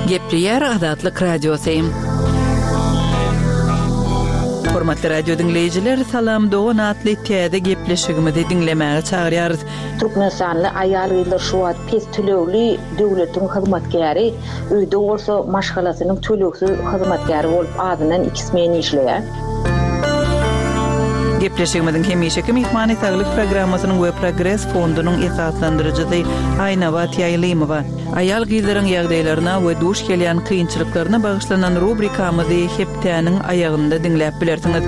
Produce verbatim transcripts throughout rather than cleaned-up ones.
Gepleýär Azatlyk Radiosy. Hormatly radio diňleýjiler, Salam dogan atly täze gepleşigimizi diňlemäge çagyrýarys. Türkmenistanly aýal-gyzlar şu wagt pes tölegli döwletiň hyzmatkäri, öýde bolsa maşgalasynyň tölegsiz hyzmatkäri bolup azyndan iki smen işleýär. Gepleşigimiziň hemişeki myhmany saglyk programmasynyň we Progres fondunyň esaslandyryjysy Aýnabat Ýaýlymowa. Aýal-gyzlaryň ýagdaýlaryna we duş gelýän kynçylyklaryna bagyşlanan rubrikamyzy hepdäniň aýagynda diňläp bilersiňiz.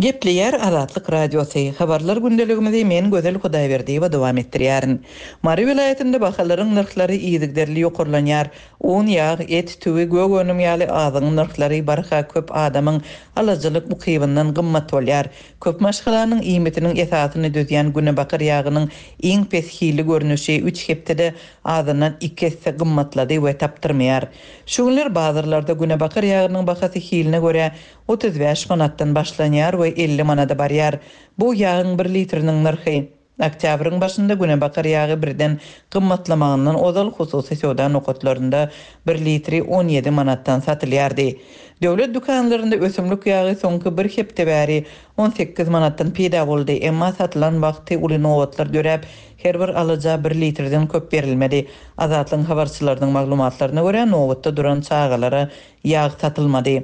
Gepleýär Azatlyk Radiosy. Habarlar gündeligimizi men Gözel Hudaýberdiýewa dowam etdirýärin. Mary welaýatynda bahalaryň nyrhlary yzygiderli ýokarlanýar. Un, ýag, et, tüwi, gök önüm ýaly azygyň nyrhlary barha köp adamyň alyjylyk ukybyndan gymmat bolýar. Köp maşgalanyň iýmitiniň esasyny düzýän günebakar ýagynyň iň pes hili görnüşi üç hepdede azyndan iki esse gymmatlady we tapdyrmaýar. Şu günler bazarlarda günebakar ýagynyň bahasy hiline görä otuz bäş manatdan başlanýar we elli manada barýar. Bu ýagyň bir litriniň nyrhy. Oktýabryň başynda günebakar ýagy birden gymmatlamagyndan ozal hususy söwda nokatlarynda bir litri on ýedi manatdan satylýardy. Döwlet dükanlarynda ösümlik ýagy soňky bir hepde bäri on sekiz manatdan peýda boldy. Emma satylan wagty uly nobatlar döräp, her bir alyja bir litrden köp berilmedi. Azatlygyň habarçylarynyň maglumatlaryna görä nobatda duran çagalara ýag satylmady.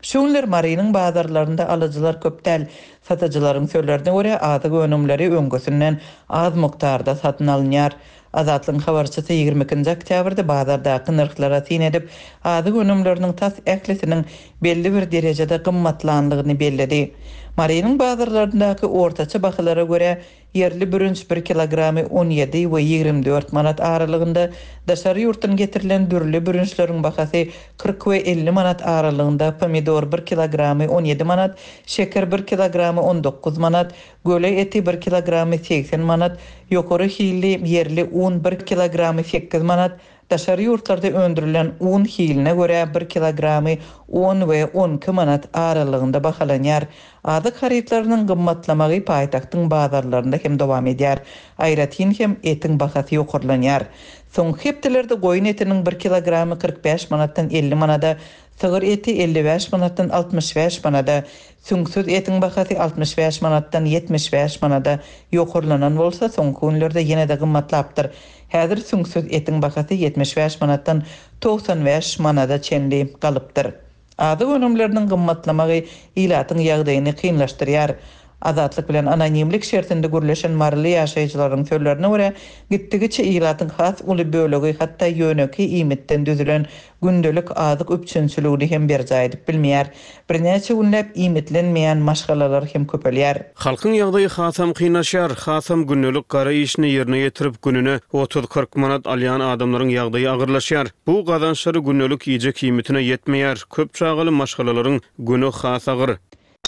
Şu günler Marynyň bazarlarynda alyjylar köp däl. Satyjylaryň sözlerine görä azyk önümleri öňküsinden az mukdarda satyn alynýar. Azatlygyň habarçysy ýigrimi ikinji oktýabrda bazardaky nyrhlara syn edip, azyk önümleriniň tas ählisiniň belli bir derejede gymmatlanlygyny belledi. Marynyň bazarlaryndaky ortaça bahalara görä ýerli bürünç bir kilogramy on ýedi we ýigrimi dört manat aralygynda, daşary ýurtdan getirilen dürli bürünçleriň bahasy kyrk we elli manat aralygynda, pomidor bir kilogramy on ýedi manat, şeker bir kilogramy on dokuz manat, göle eti bir kilogramy seksen manat, ýokary hilli ýerli un bir kilogramy sekiz manat, daşary ýurtlarda öndürilen un hiline görä bir kilogramy on we on iki manat aralygynda bahalanýar. Azyk harytlarynyň gymmatlamagy paýtagtyň bazarlarynda hem dowam edýär. Aýratyn hem etiň bahasy ýokarlanýar. Soňky hepdelerde goýun etiniň bir kilogramy kyrk bäş manatdan elli manada, sygyr eti elli bäş manatdan altmyş bäş manada, süňksüz etiň bahasy altmyş bäş manatdan ýetmiş bäş manada ýokarlanan bolsa, soňky günlerde ýene-de gymmatlapdyr. Häzir süňksüz etiň bahasy ýetmiş bäş manatdan togsan bäş manada çenli galypdyr. Azyk önümleriniň gymmatlamagy ilatyň ýagdaýyny kynlaşdyrýar. Azatlyk bilen anonimlik şertinde gürleşen maryly ýaşaýjylaryň sözlerine görä, gitdigiçe ilatyň has uly bölegi hatda ýöneki iýmitden düzülen gündelik azyk üpjünçiligini hem berjaý edip bilmeýär. Birnäçe günläp iýmitlenmeýän maşgalalar hem köpelýär. Halkyň ýagdaýy hasam kynlaşýar, hasam gündelik gara işini ýerine ýetirip gününe otuz kyrk manat alýan adamlaryň ýagdaýy agyrlaşýar. Bu gazançlary gündelik iýjek iýmitine ýetmeýär. Köp çagaly maşgalalaryň günü has agyr.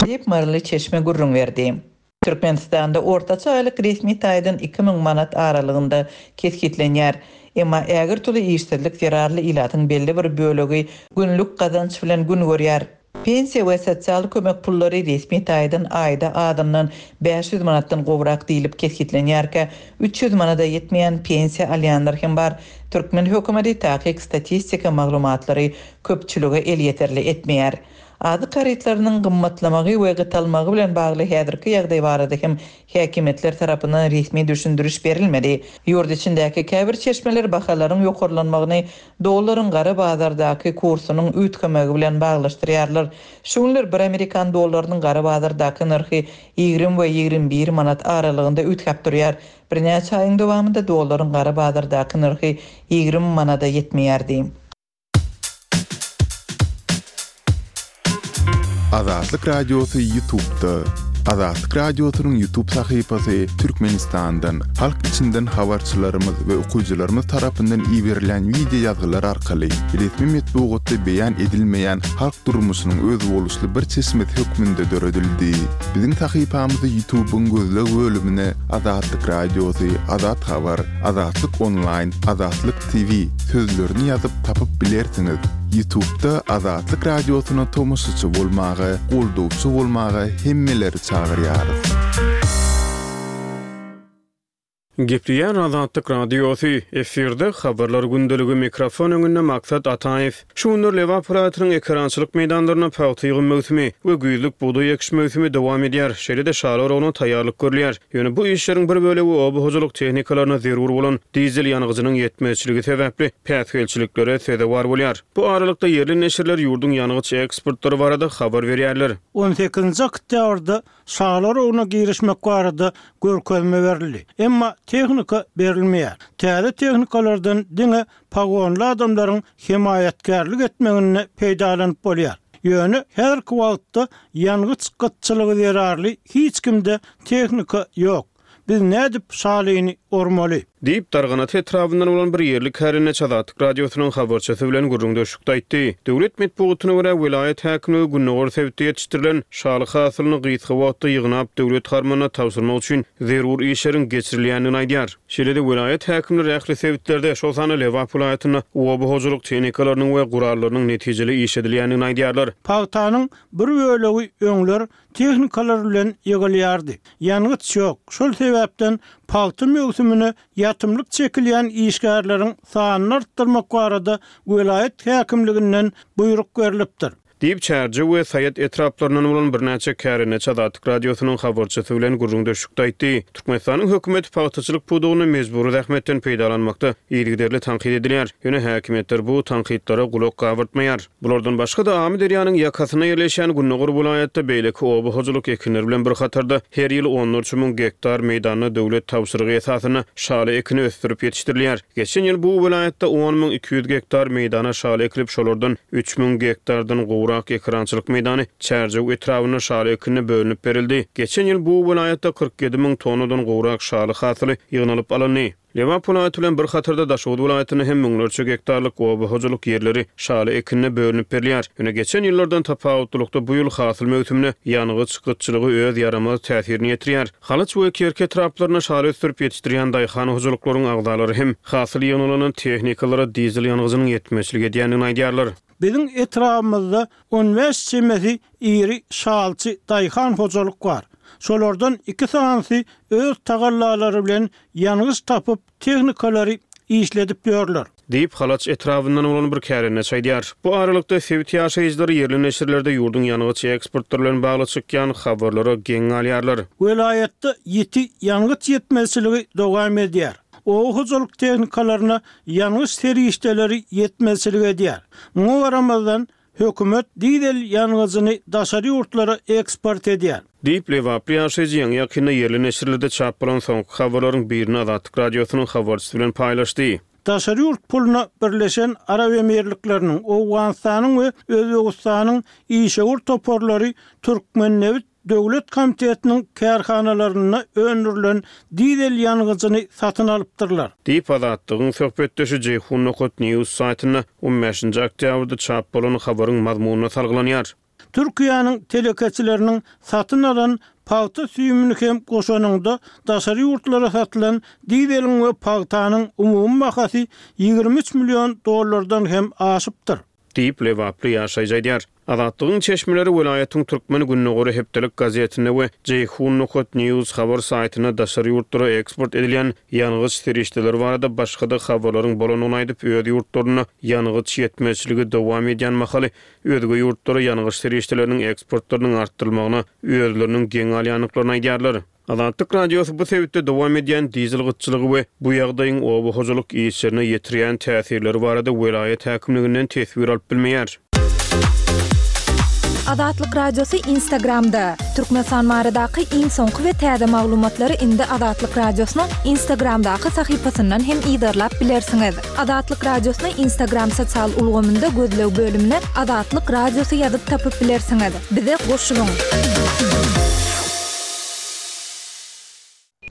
Diýip Maryly çeşme gürrüň berdi. Türkmenistanda ortaça aýlyk resmi taýdan iki müň manat aralygynda kesgitlenýär. Emma ägirt uly işsizlik zerarly ilatyň belli bir bölegi günlük gazanç bilen gün görýär. Pensiýa we sosial kömek pullary resmi taýdan aýda azyndan bäş ýüz manatdan gowrak diýilip kesgitlenýärkä, üç ýüz manada ýetmeýän pensiýa alýanlar hem bar. Türkmen hökümeti takyk statistika maglumatlary köpçülige elýeterli etmeýär. Azyk harytlarynyň gymmatlamagy we gytalmagy bilen bagly häzirki ýagdaý barada hem häkimiýetler tarapyndan resmi düşündiriş berilmedi. Ýurt içindäki käbir çeşmeler bahalaryň ýokarlanmagyny dollaryň gara bazardaky kursunyň üýtgemegi bilen baglaşdyrýarlar. Şu günler bir amerikan dollarynyň gara bazardaky nyrhy ýigrimi we ýigrimi bir manat aralygynda üýtgäp durýar. Birnäçe aýyň dowamynda dollaryň gara bazardaky nyrhy ýigrimi manada ýetmeýärdi. Azatlyk Radiosy YouTube'da. Azatlyk Radiosynyň YouTube sahypasy Türkmenistandan, halk içinden habarçylarymyz we okyjylarymyz tarapyndan iberilen video ýazgylar arkaly resmi metbugatda beýan edilmeýän halk durmuşynyň özboluşly bir çeşmesi hökmünde döredildi. Biziň sahypamyzy YouTube'yň gözleg bölümine Azatlyk Radiosy, Azat Habar, Azatlyk Online, Azatlyk T V sözlerini ýazyp tapyp bilersiňiz. YouTube'da Azatlyk Radiosyna tomaşaçy bolmaga, goldawçy bolmaga hemmeleri çagyrýarys. Gepleýär Azatlyk Radiosy, efirde Habarlar gündeligi, mikrofon öňünde Maksat Ataýew. Şu günler Lebap welaýatynyň ekerançylyk meýdanlarynda pagta ýygym möwsümi we güýzlük bugdaý ekiş möwsümi dowam edýär, şeýle-de şaly oragyna taýýarlyk görülýär. Ýöne bu işleriň bir bölegi oba hojalyk tehnikalaryna zerur bolan dizel ýangyjynyň ýetmezçiligi sebäpli päsgelçiliklere sezewar bolýar. Bu aralykda ýerli neşirler ýurduň ýangyç eksportlary barada habar berýärler. On sekizinji oktýabrda şaly oragyna girişmek barada görkezme berildi. Emma tehnika berilmeýär. Täze tehnikalardan diňe pagonly adamlaryň hemaýatkärlik etmeginde peýdalanyp bolýar. Ýöne häzirki wagtda ýangyç gytçylygy zerarly hiç kimde tehnika ýok. Biz nädip şalyny ormaly? Diýip, Darganata etrabyndan bolan bir ýerli kärendeçi Azatlyk Radiosynyň habarçysy bilen gürrüňdeşlikde aýtdy. Döwlet metbugatyna görä, welaýat häkimligi gündogar sebitde ýetişdirilen şaly hasylyny gysga wagtda ýygnap, döwlet harmanyna tabşyrmak üçin zerur işleriň geçirilýändigini aýdýar. Şeýle-de, welaýat häkimleri ähli sebitlerde, şol sanda Lebap welaýatynda oba hojalyk tehnikalarynyň we gurallarynyň netijeli işledilýändigini aýdýarlar. Pagtanyň bir bölegi öňler tehnikalar bilen ýygylýardy. Ýangyç ýok. Şol sebäpden pagta möwsümine ýatymlyk çekilýän işgärleriň sanyny artdyrmak barada welaýat häkimliginden buýruk berlipdir. Diýip, Çärjew we Saýat etraplaryndan bolan birnäçe kärendeçi Azatlyk Radiosynyň habarçysy bilen gürrüňdeşlikde aýtdy. Türkmenistanyň hökümeti pagtaçylyk pudagynda mejbury zähmetden peýdalanmakda yzygiderli tankyt edilýär. Ýöne häkimiýetler bu tankytlara gulak gabyrtmaýar. Bulardan başga-da, Amyderýanyň ýakasynda ýerleşýän gündogar welaýatda beýleki oba hojalyk ekinleri bilen bir hatarda her ýyl onlarça müň gektar meýdanda döwlet tabşyrygy esasynda şaly ekini ösdürip ýetişdirilýär. Geçen ýyl bu welaýatda on müň iki ýüz gektar meýdana şaly ekilip, şolardan üç müň gektardan gowrak ekerançylyk meýdany Çärjew etrabynda şaly ekinine bölünip berildi. Geçen ýyl bu welaýatda kyrk ýedi müň tonnadan gowrak şaly hasyly ýygnalyp alyndy. Lebap welaýaty bilen bir hatarda Daşoguz welaýatynda hem müňlerçe gektarlyk oba hojalyk ýerleri şaly ekinine bölünip berilýär. Ýöne geçen ýyllardan tapawutlylykda bu ýyl hasyl möwsümine ýangyç gytçylygy öz ýaramaz täsirini ýetirýär. Halaç we Kerki etraplarynda şaly ösdürip ýetişdirýän daýhan hojalyklaryň agzalary hem hasyl ýygnalan tehnikalara dizel ýangyjynyň ýetmezçilik edýändigini aýdýarlar. Biziň etrabymyzda on bäş çemesi iri şalçy daýhan hojalyk bar. Şolardan iki sanysy öz tagallalary bilen ýangyç tapyp tehnikalary işledip ýörler. Diýip, Halaç etrabyndan bolan bir kärendeçi aýdýar. Bu aralykda sebit ýaşaýjylary ýerli neşirlerde ýurduň ýangyç eksportlary bilen bagly çykýan habarlara geň galýarlar. Welaýatda ýiti ýangyç ýetmezçiligi dowam edýär. Oba hojalyk tehnikalaryna ýangyç serişdeleri ýetmezçilik edýär. Muňa garamazdan hökümet dizel ýangyjyny daşary ýurtlara eksport edýär. Diýip, Lebaply ýaşaýjy ýaňy ýakynda ýerli neşirlerde çap bolan soňky habarlaryň birini Azatlyk Radiosynyň habarçysy bilen paýlaşdy. Daşary ýurt puluna Birleşen Arap Emirlikleriniň, Owganystanyň we Özbegistanyň işewür toparlary Türkmennebit döwlet komitetiniň kärhanalarynda öndürilen dizel ýangyjyny satyn alypdyrlar. Diýip, Azatlygyň söhbetdeşi Jeýhun nokat news saýtynda on bäşinji oktýabrda çap bolan habaryň mazmunyna salgylanýar. Türkiýäniň telekeçileriniň satyn alan pagta süýümini hem goşanynda daşary ýurtlara satylan dizeliň we pagtanyň umumy bahasy ýigrimi üç million dollardan hem aşypdyr. Diýip, Lebaply ýaşaýjy aýdýar. Azatlygyň çeşmeleri welaýatyň Türkmen gündogary hepdelik gazetinde we Jeýhun nokat news habar saýtynda daşary ýurtlara eksport edilýän ýangyç serişdeleri barada başga-da habarlaryň bolandygyny aýdyp, öz ýurtlarynda ýangyç ýetmezçiligi dowam edýän mahaly özge ýurtlara ýangyç serişdeleriniň eksportlarynyň artdyrylmagyna özleriniň geň galýandyklaryny aýdýarlar. Azatlyk Radiosy bu sebitde dowam edýän dizel gytçylygy we bu ýagdaýyň oba hojalyk işlerine ýetirýän täsirleri barada welaýat häkimliginden teswir alyp bilmeýär. Azatlyk Radiosy Instagramda. Türkmenistan baradaky iň soňky we täze maglumatlary indi Azatlyk Radiosynyň Instagramdaky sahypasyndan hem yzarlap bilersiňiz. Azatlyk Radiosyny Instagram sosial ulgamynda gözleg bölümine Azatlyk Radiosy ýazyp tapyp bilersiňiz. Bize goşulyň.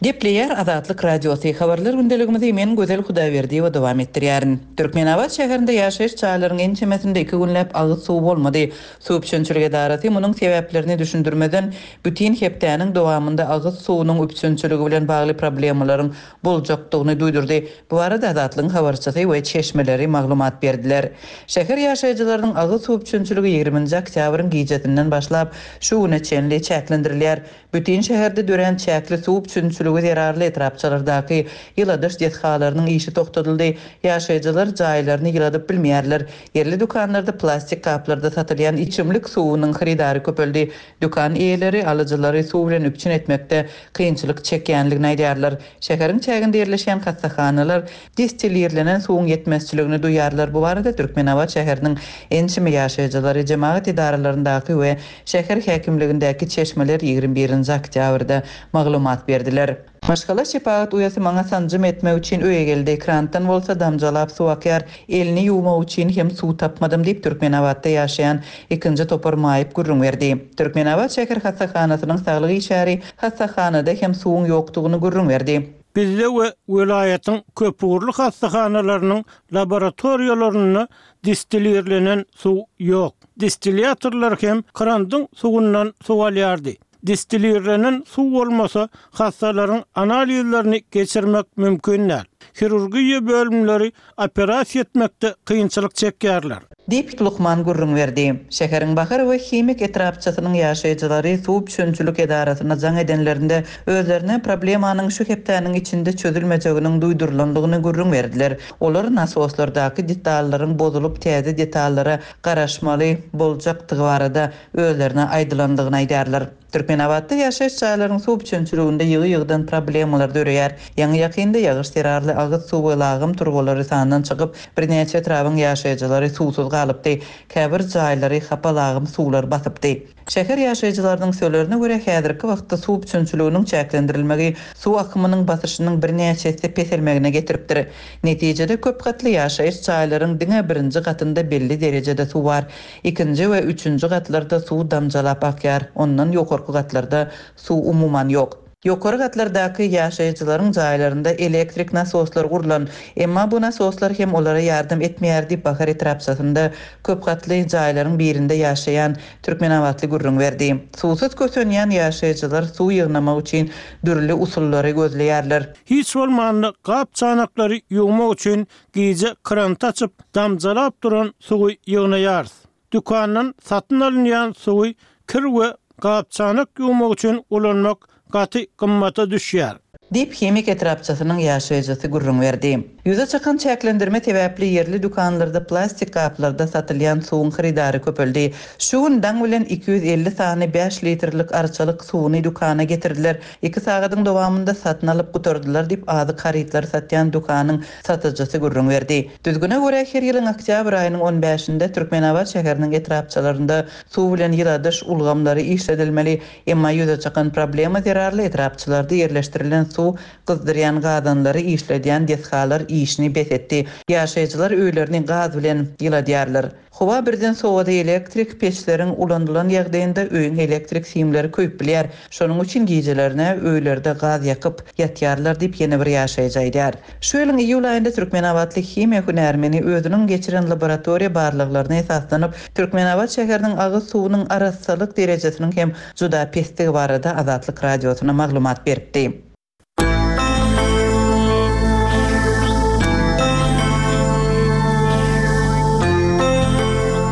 Gepleýär Azatlyk Radiosy. Habarlar gündeligimizi men Gözel Hudaýberdiýewa dowam etdirýärin. Türkmenabat şäherinde ýaşaýyş jaýlaryň ençemesinde iki günläp agyz suw bolmady. Suw üpjünçilik edarasy munuň sebäplerini düşündirmeden bütün hepdäniň dowamynda agyz suwunyň üpjünçiligi bilen bagly problemalaryň boljakdygyny duýdurdy. Bu barada Azatlygyň habarçysy we çeşmeleri maglumat berdiler. Şäher ýaşaýjylarynyň agyz suw üpjünçiligi ýigriminji oktýabryň gijesinden başlap şu güne çenli çäklendirilýär. Bütün şäherde dörän çäkli suw üpjünçiliginiň üpjünçiligi zerarly etrapçalardaky ýyladyş desgalarynyň işi togtadyldy. Ýaşaýjylar jaýlaryny ýyladyp bilmeýärler. Ýerli dükanlarda plastik gaplarda satylýan içimlik suwunyň hyrydary köpeldi. Dükan eýeleri alyjylary suw bilen üpjün etmekde kynçylyk çekýändigini aýdýarlar. Şäheriň çäginde ýerleşýän hassahanalar distilirlenen suwuň ýetmezçiligini duýarlar. Bu barada Türkmenabat şäheriniň ençeme ýaşaýjylary, jemagat edaralaryndaky we şäher häkimligindäki çeşmeler ýigrimi birinji oktýabrda maglumat berdiler. Maşgala şepagat uýasy maňa sanjym etmek üçin öýe geldi. Krantdan bolsa damjalap suw akýar. Elini ýuwmak üçin hem suw tapmadym diýip Türkmenabatda ýaşaýan ikinji topar maýyp gürrüň berdi. Türkmenabat şäher hassahanasynyň saglyk işgäri hassahanada hem suwuň ýokdugyny gürrüň berdi. Bizde we welaýatyň köpugurly hassahanalarynyň laboratoriýalarynda distilirlenen suw ýok. Distilýatorlar hem krandyň suwundan suw alýardy. Distilirlenen suw bolmasa, hassalaryň analizlerini geçirmek mümkin däl. Hirurgiýa bölümleri operasiýa etmekde kynçylyk çekýärler. Diýip, lukman gürrüň berdi. Şäheriň Bahar we Himik etrapçasynyň ýaşaýjylary suw üpjünçilik edarasyna jaň edenlerinde özlerine problemanyň şu hepdäniň içinde çözülmejeginiň duýdurylandygyny gürrüň berdiler. Olar nasoslardaky detallaryň bozulyp täze detallara garaşmaly boljakdygy barada özlerine aýdylandygyny aýdýarlar. Türkmenabatda ýaşaýyş jaýlaryň suw üpjünçiliginde ýygy-ýygydan problemalar döreýär. Ýaňy ýakynda ýagyş zerarly agyz suw we lagym turbalary sandan çykyp, birnäçe etrabyň ýaşaýjylary suwsuz galypdy. Käbir jaýlary hapa lagym suwlar basypdy. Şäher ýaşaýjylarynyň sözlerine görä, häzirki wagtda suw üpjünçiliginiň çäklendirilmegi suw akymynyň basyşynyň birnäçe esse peselmegine getiripdir. Netijede köp gatly ýaşaýyş jaýlaryň diňe birinji gatynda belli derejede suw bar. Ikinji we üçünji gatlarda suw damjalap akýar. Ondan ýokarky gatlarda suw umuman ýok. Ýokary gatlardaky ýaşaýjylaryň jaýlarynda elektrik nasoslar gurlan, emma bu nasoslar hem olara ýardam etmeýär diýip Bahar etrapçasynda köp gatly jaýlaryň birinde ýaşaýan Türkmenabatly gürrüň berdi. Suwsuz kösenýän ýaşaýjylar suw ýygnamak üçin dürli usullary gözleýärler. Hiç bolmanda gap çanaklary ýuwmak üçin gije krant açyp damjalap duran suwy ýygnaýarys. Dükandan satyn alynýan suwy kir we gap çanak ýuwmak üçin ulanmak gaty gymmata düşýär. Diýip Himik etrapçasynyň ýaşaýjysy gürrüň berdi. Ýüze çykan çäklendirme sebäpli ýerli dükanlarda plastik gaplarda satylýan suwuň hyrydary köpeldi. Şu gün daň bilen iki ýüz elli sany bäş litrlik arçalyk suwuny dükana getirdiler. Iki sagadyň dowamynda satyn alyp gutardylar diýip azyk harytlary satýan dükanyň satyjysy gürrüň berdi. Düzgüne görä her ýylyň oktýabr aýynyň on bäşinde Türkmenabat şäheriniň etrapçalarynda suw bilen ýyladyş ulgamlary işledilmeli. Emma ýüze çykan problema zerarly etrapçalarda ýerleşdirilen suw gyzdyrýan gazanlary işledýän desgalar işini bes etdi. Ýaşaýjylar öýlerini gaz bilen ýyladýarlar. Howa birden sowady elektrik peçleriň ulanylan ýagdaýynda öýüň elektrik simleri köýüp bilýär. Şonuň üçin gijelerine öýlerde gaz ýakyp ýatýarlar diýip ýene bir ýaşaýjy aýdýar. Şu ýylyň iýul aýynda Türkmenabatly himiýa hünärmeni özüniň geçiren laboratoriýa barlaglaryna esaslanyp Türkmenabat şäheriniň agyz suwunyň arassalyk derejesiniň hem juda pesdigi barada Azatlyk radiosyna maglumat beripdi.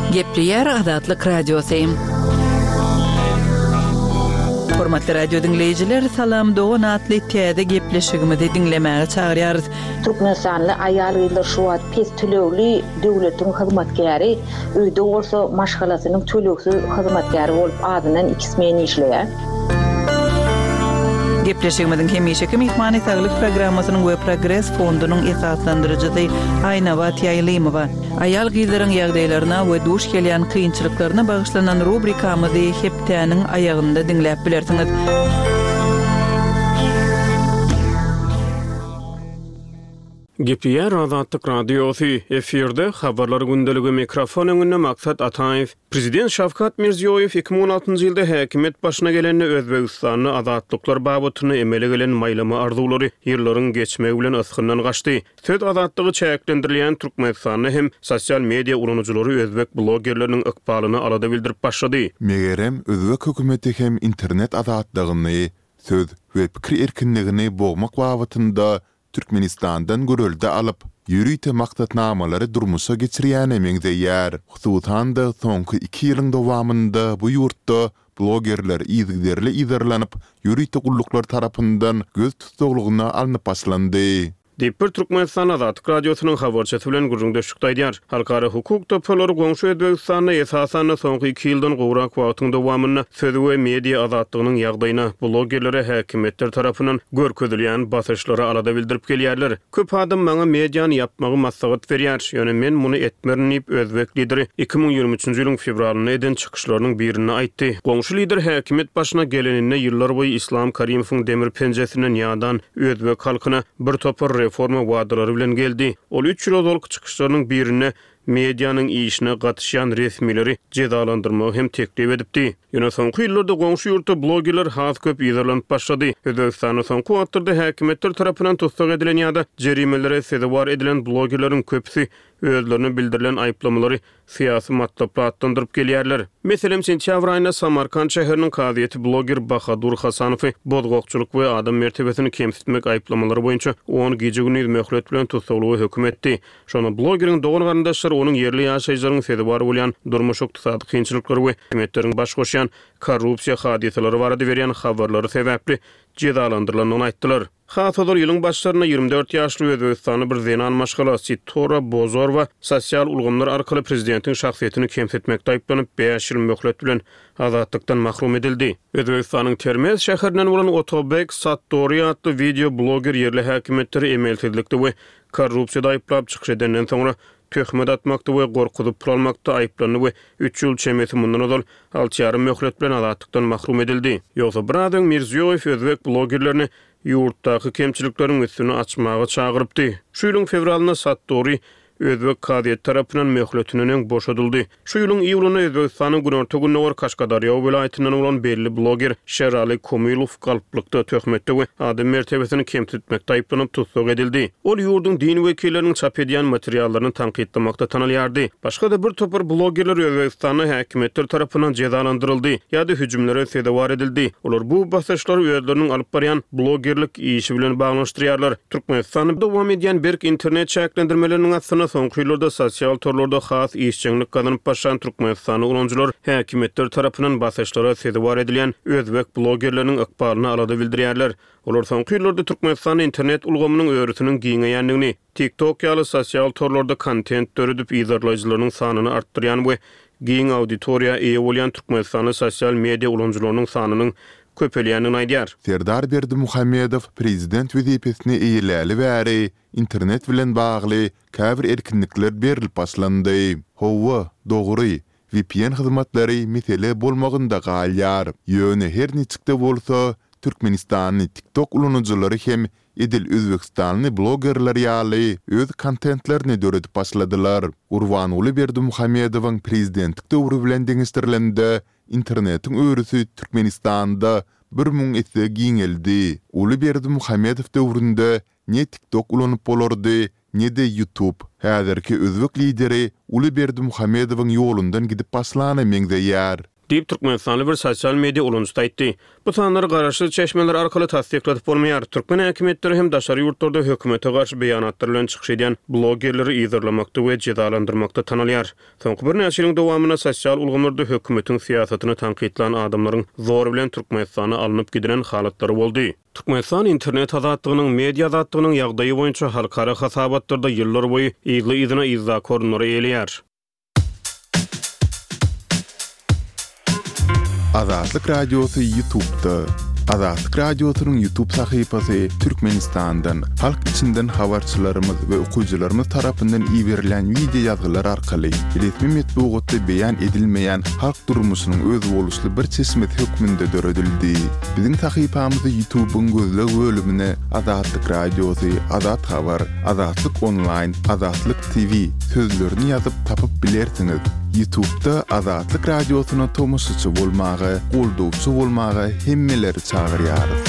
Gepleýär Azatlyk Radiosy. Hormatly radio dinleýjiler, Salam Dogan atly täze gepleşigimizi diňlemäge çagyrýarys. Türkmenistanly aýal-gyzlar şu wagt pes tölegli döwletiň hyzmatkäri, öýde bolsa maşgalasynyň tölegsiz hyzmatkäri bolup azyndan iki smen işleýär. Gepleşigimiziň hemişeki myhmany saglyk programmasynyň we Progres fondunyň esaslandyryjysy Aýnabat Ýaýlymowa. Aýal gyzlaryň ýagdaýlaryna we duş gelýän kynçylyklaryna bagyşlanan rubrikamyzy hepdäniň aýagynda diňläp bilersiňiz. Gepleýär Azatlyk Radiosy, efirde habarlar gündeligi mikrofon öňünde Maksat Ataýew. Prezident Şawkat Mirziýoýew iki müň on altynjy ýylda häkimiýet başyna gelende Özbegistanda azatlyklar babatynda emele gelen maýlama arzuwlary ýyllaryň geçmegi bilen ysgyndan gaçdy. Söz azatlygy çäklendirilýän Türkmenistanda hem sosial media ulanyjylary özbek blogerleriniň ykbalyny alada bildirip başlady. Megerem özbek hökümeti hem internet azatlygyny, söz we pikir erkinligini bogmak babatynda Türkmenistandan görelde alyp, ýörite maksatnamalary durmuşa geçirýäne meňzeýär. Hususan-da, soňky iki ýylyň dowamynda bu ýurtda blogerler yzygiderli yzarlanyp, ýörite gulluklar tarapyndan göz tussaglygyna alnyp başlandy. Diýip, bir türkmenistanly Azatlyk Radiosynyň habarçysy bilen gürrüňdeşlikde aýdýar. Halkara hukuk toparlary goňşy Özbegistanda, esasan-da, soňky iki ýyldan gowrak wagtyň dowamynda söz we media azatlygynyň ýagdaýyna, blogerlere häkimiýetler tarapyndan görkezilýän basyşlara alada bildirip gelýärler. Köp adam maňa mediany ýapmagy maslahat berýär, ýöne men muny etmerin diýip, özbek lideri iki müň ýigrimi üçünji ýylyň fewralynda eden çykyşlarynyň birinde aýtdy. Goňşy lider häkimiýet başyna geleninde ýyllarboýy Islam Karimowyň demir penjesinden ýadan özbek halkyna bir topar reforma wadalary bilen geldi. Ol üç ýyl ozalky çykyşlarynyň birinde medianyň işine gatyşýan resmileri jezalandyrmagy hem teklip edipdi. Ýöne soňky ýyllarda goňşy ýurtda blogerler has köp yzarlanyp başlady. Özbegistanda soňky wagtlarda häkimiýetler tarapyndan tussag edilen ýa-da jerimelere sezewar edilen blogerleriň köpüsi özlerine bildirilen aýyplamalary syýasy matlaply atlandyryp gelýärler. Meselem, sentýabr aýynda Samarkant şäheriniň kazyýeti bloger Bahadur Hasanowy bozgakçylyk we adam mertebesini kemsitmek aýyplamalary boýunça on gije-gündiz möhlet bilen tussaglyga höküm etdi. Şonda blogeriň dogan-garyndaşlary onuň ýerli ýaşaýjylaryň sezewar bolýan durmuş-ykdysady kynçylyklary we häkimiýetleriň baş goşýan korrupsiýa hadysalary barada berýän habarlary sebäpli jezalandyrylandygyny aýtdylar. Has ozal ýylyň başlarynda ýigrimi dört ýaşly özbegistanly bir zenan maşgala Sitora Bozorwa sosial ulgamlar arkaly prezidentiň şahsyýetini kemsitmekde aýyplanyp, bäş ýyl möhlet bilen azatlykdan mahrum edildi. Özbegistanyň Termez şäherinden bolan Otobek Sattori atly wideo bloger ýerli häkimiýetleri emelsizlikde we korrupsiýada aýyplap çykyş edenden soňra töhmet atmakda we gorkuzyp pul almakda aýyplandy we üç ýyl çemesi mundan ozal alty ýarym möhlet bilen azatlykdan mahrum edildi. Ýogsa biraz öň Mirziýoýew özbek blogerlerini ýurtdaky kemçilikleriň üstüni açmaga çagyrypdy. Şu ýylyň fewralynda Sattori özbek kazyýeti tarapyndan möhletinden öň boşadyldy. Şu ýylyň iýulynda Özbegistanyň günorta-gündogar Kaşgadarýa welaýatyndan bolan belli bloger Şerali Komilow galplykda, töhmetde we adam mertebesini kemsitmekde aýyplanyp tussag edildi. Ol ýurduň din wekilleriniň çap edýän materiallaryny tankytlamakda tanalýardy. Başga-da bir topar blogerler Özbegistanda häkimiýetler tarapyndan jezalandyryldy ýa-da hüjümlere sezewar edildi. Olar bu basyşlary özleriniň alyp barýan blogerlik işi bilen baglanyşdyrýarlar. Türkmenistanda dowam edýän berk internet çäklendirmeleriniň astynda soňky ýyllarda sosial torlarda has işjeňlik gazanyp başlan türkmenistanly ulanyjylar häkimiýetler tarapyndan basyşlara sezewar edilýän özbek blogerleriniň ykbalyna alada bildirýärler. Olar soňky ýyllarda Türkmenistanda internet ulgamynyň örüsiniň giňeýändigini, TikTok ýaly sosial torlarda kontent döredip yzarlaýjylarynyň sanyny artdyrýan we giň auditoriýa eýe bolýan türkmenistanly sosial media ulanyjylarynyň sanynyň köpelýändigini aýdýar. Serdar Berdimuhamedow prezident wezipesini eýeläli bäri internet bilen bagly käbir erkinlikler berlip başlandy. Hawa, dogry, V P N hyzmatlary mesele bolmagynda galýar. Ýöne her niçik-de bolsa, Türkmenistanly TikTok ulanyjylary hem edil özbegistanly blogerler ýaly öz kontentlerini döredip başladylar. Gurbanguly Berdimuhamedowyň prezidentlik döwri bilen deňeşdirilende, internetiň örüsi Türkmenistanda bir müň esse giňeldi. Uly Berdimuhamedow döwründe ne TikTok ulanyp bolardy, ne-de YouTube. Häzirki özbek lideri Uly Berdimuhamedowyň ýolundan gidip başlana meňzeýär. Diýip, türkmenistanly bir sosial media ulanyjysy aýtdy. Bu sanlary garaşsyz çeşmeler arkaly tassykladyp bolmaýar. Türkmen häkimiýetleri hem daşary ýurtlarda hökümete garşy beýanatlar bilen çykyş edýän blogerleri yzarlamakda we jezalandyrmakda tanalýar. Soňky birnäçe ýylyň dowamynda sosial ulgamlarda hökümetiň syýasatyny tankytlan adamlaryň zor bilen Türkmenistana alnyp gidilen halatlary boldy. Türkmenistan internet azatlygynyň, media azatlygynyň ýagdaýy boýunça halkara hasabatlarda ýyllar boýy yzly-yzyna yzdaky orunlary eýeleýär. Azatlyk Radiosy YouTube'da. Azatlyk Radiosynyň YouTube sahypasy Türkmenistandan, halk içinden habarçylarymyz we okyjylarymyz tarapyndan iberilen wideo ýazgylar arkaly resmi metbugatda beýan edilmeýän halk durmuşynyň özboluşly bir çeşmesi hökmünde döredildi. Biziň sahypamyzy YouTube'yň gözleg bölümine Azatlyk Radiosy, Azat Habar, Azatlyk Online, Azatlyk T V sözlerini ýazyp tapyp bilersiňiz. YouTube'da Azatlyk Radiosyna tomaşaçy bolmaga, goldawçy bolmaga hemmeleri çagyrýarys.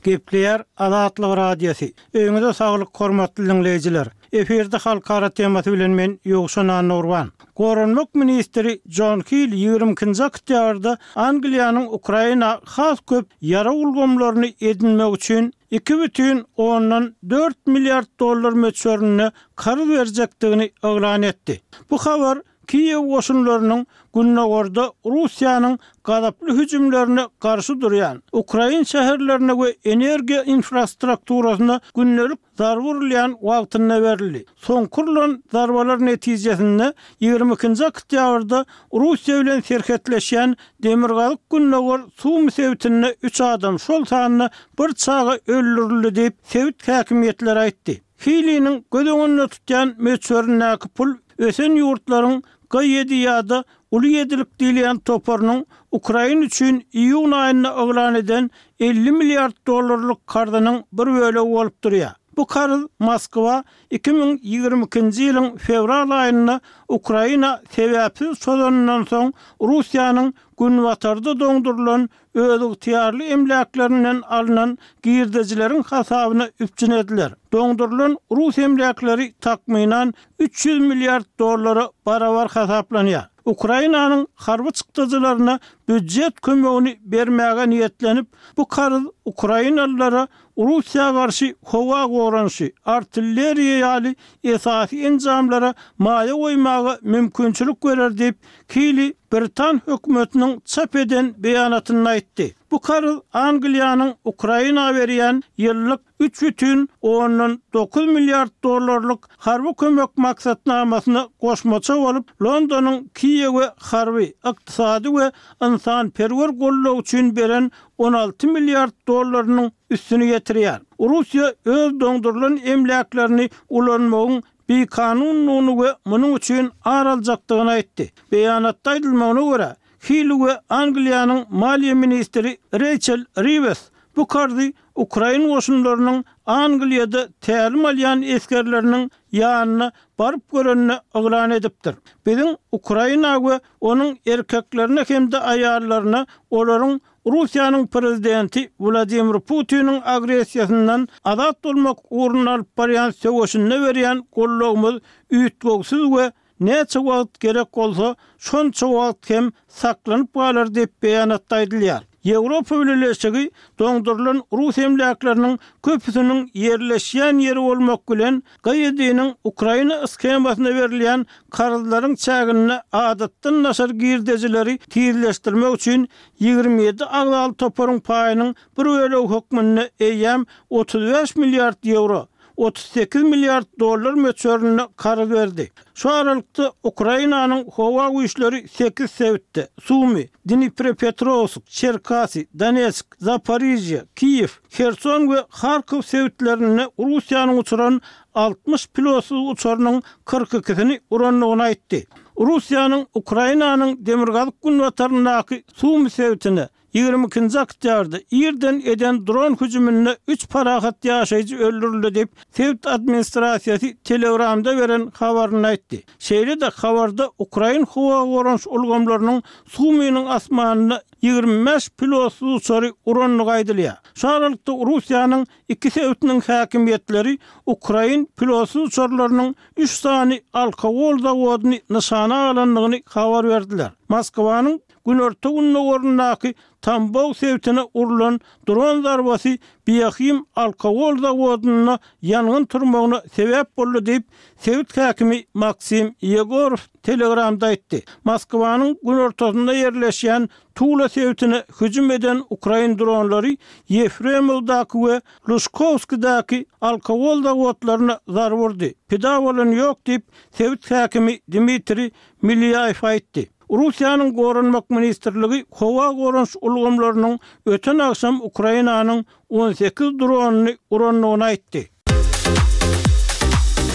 Gepleýär Azatlyk Radiosy. Öýüňize saglyk hormatly dinleýjiler. Efirde halkara temasy bilen men Ýowşan Annagurban. Goranmak ministri Jon Hill ýigrimi ikinji oktýabrda Angliýanyň Ukraina has köp ýarag ulgamlaryny edinmek üçin iki bütin ondan dört milliard dollar möçberinde karz berjekdigini yglan etdi. Bu habar Kiýew goşunlarynyň gündogarda Russiýanyň gazaply hüjümlerine garşy durýan ukrain şäherlerine we energiýa infrastrukturasyna gündelik zarba urulýan wagtynda berildi. Soňky urlan zarbalar netijesinde ýigrimi ikinji oktýabrda Russiýa bilen serhetleşýän demirgazyk-gündogar Sumy sebitinde üç adam, şol sanda bir çaga öldürildi diýip, sebit häkimiýetleri aýtdy. Hiliniň göz öňünde tutýan möçberindäki pul ösen ýurtlaryň G ýedi ýa-da Uly ýedilik diýilýän toparynyň Ukraina üçin iýun aýynda yglan eden elli milliard dollarlyk karzynyň bir bölegi bolup durýar. Bu karz Moskwa iki müň ýigrimi ikinji ýylyň fewral aýynda Ukraina sebäpsiz çozanyndan soň Russiýanyň günbatarda doňdurylan özygtyýarly emläklerinden alnan girdejileriň hasabyna üpjün ediler. Doňdurylan rus emläkleri takmynan üç ýüz milliard dollara barabar hasaplanýar. Ukrainanyň harby çykdajylaryna býujet kömegini bermäge niýetlenip, bu karz ukrainalylara Russiýa garşy howa goranyşy, artilleriýa ýaly esasy enjamlara maýa goýmaga mümkinçilik berer diýip, Kili britan hökümetiniň çap eden beýanatynda aýtdy. Bu karz Angliýanyň Ukraina berýän ýyllyk üç bütin ondan dokuz milliard dollarlyk harby kömek maksatnamasyna goşmaça bolup, Londonyň Kiýewe harby, ykdysady we ynsanperwer goldaw üçin beren on alty milliard dollarynyň üstüni ýetirýär. Russiýa öz doňdurylan emläklerini ulanmagyň bikanundygyny we munuň üçin ar aljakdygyny aýtdy. Beýanatda aýdylmagyna görä, Hili we Angliýanyň maliýe ministri Reýçel Riwes bu karzy ukrain goşunlarynyň Angliýada tälim alýan esgerleriniň ýanyna baryp görenini yglan edipdir. Biziň Ukraina we onuň erkeklerine hem-de aýallaryna olaryň Russiýanyň prezidenti Wladimir Putiniň agressiýasyndan azat bolmak ugrunda alyp barýan söweşinde berýän gollagymyz üýtgewsiz we näçe wagt gerek bolsa, şonça wagt hem saklanyp galar diýip beýanatda aýdylýar. Ýewropa Bileleşigi doňdurylan rus emläkleriniň köpüsiniň ýerleşýän ýeri bolmak bilen G ýediniň Ukraina shemasyna berilýän karzlaryň çäginde adatdan daşary girdejileri tizleşdirmek üçin ýigrimi ýedi agzaly toparyň paýynyň bir bölegi hökmünde eýýäm otuz bäş milliard ýewro, otuz sekiz milliard dollar möçberinde karz berdi. Şu aralykda Ukrainanyň howa güýçleri sekiz sebitde, Sumy, Dniprepetrowsk, Çerkasy, Donetsk, Zaporižýa, Kiýew, Herson we Harkow sebitlerinde Russiýanyň uçuran altmyş pilotsyz uçarynyň kyrk ikisini urandygyny aýtdy. Russiýanyň Ukrainanyň demirgazyk-günbataryndaky Sumy sebitine ýigrimi ikinji oktýabrda irden eden dron hüjüminde üç parahat ýaşaýjy öldürildi diýip, sebit administrasiýasy Telegramda beren habarynda aýtdy. Şeýle-de habarda ukrain howa goranyş ulgamlarynyň Sumynyň asmanynda ýigrimi bäş pilotsyz uçary urandygy aýdylýar. Şu aralykda Russiýanyň iki sebitiniň häkimiýetleri ukrain pilotsyz uçarlarynyň üç sany alkogol zawodyny nyşana alandygyny habar berdiler. Moskwanyň günorta-gündogaryndaky Tambow sebitine urlan dron zarbasy Biahim alkogol zawodynda ýangyn turmagyna sebäp boldy diýip, sebit häkimi Maksim Ýegorow Telegramda aýtdy. Moskwanyň günortasynda ýerleşýän Tula sebitine hüjüm eden ukrain dronlary Ýefremowdaky we Lužkowskidäki alkogol zawodlaryna zarba urdy. Pida bolan ýok diýip, sebit häkimi Dmitriý Milýaýew aýtdy. Russiýanyň Goranmak ministrligi howa goranyş ulgamlarynyň öten agşam Ukrainanyň on sekiz dronyny urandygyny aýtdy.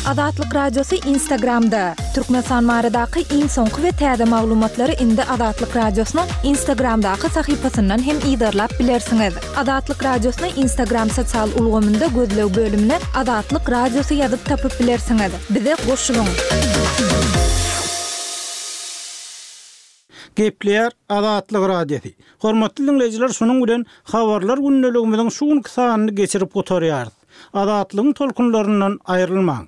Azatlyk Radiosy Instagramda. Türkmenistan baradaky iň soňky we täze maglumatlary indi Azatlyk Radiosynyň Instagramdaky sahypasyndan hem yzarlap bilersiňiz. Azatlyk Radiosyny Instagram sosial ulgamynda gözleg bölümine Azatlyk Radiosy ýazyp tapyp bilersiňiz. Bize goşulyň! Gepleýär Azatlyk Radiosy. Hormatly dinleýjiler, şunuň bilen habarlar gündeligimiziň şu günki sanyny geçirip gutarýarys. Azatlygyň tolkunlaryndan aýrylmaň.